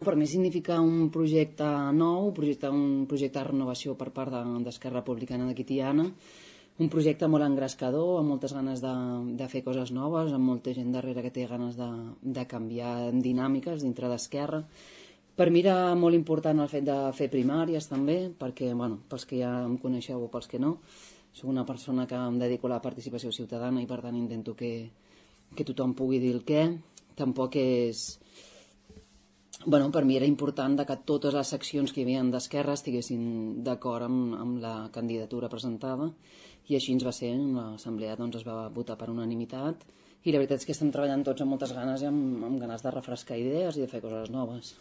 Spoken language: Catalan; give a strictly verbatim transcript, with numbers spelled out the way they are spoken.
Per mi significa un projecte nou, un projecte, un projecte de renovació per part d'Esquerra Republicana de Quitiana, un projecte molt engrescador, amb moltes ganes de, de fer coses noves, amb molta gent darrere que té ganes de, de canviar dinàmiques dintre d'Esquerra. Per mi era molt important el fet de fer primàries també, perquè, bueno, pels que ja em coneixeu o pels que no, soc una persona que em dedico a la participació ciutadana i per tant intento que, que tothom pugui dir el què. Tampoc és... Bueno, per mi era important que totes les seccions que hi havia d'Esquerra estiguessin d'acord amb, amb la candidatura presentada i així ens va ser. En l'assemblea doncs, es va votar per unanimitat i la veritat és que estem treballant tots amb moltes ganes i amb, amb ganes de refrescar idees i de fer coses noves.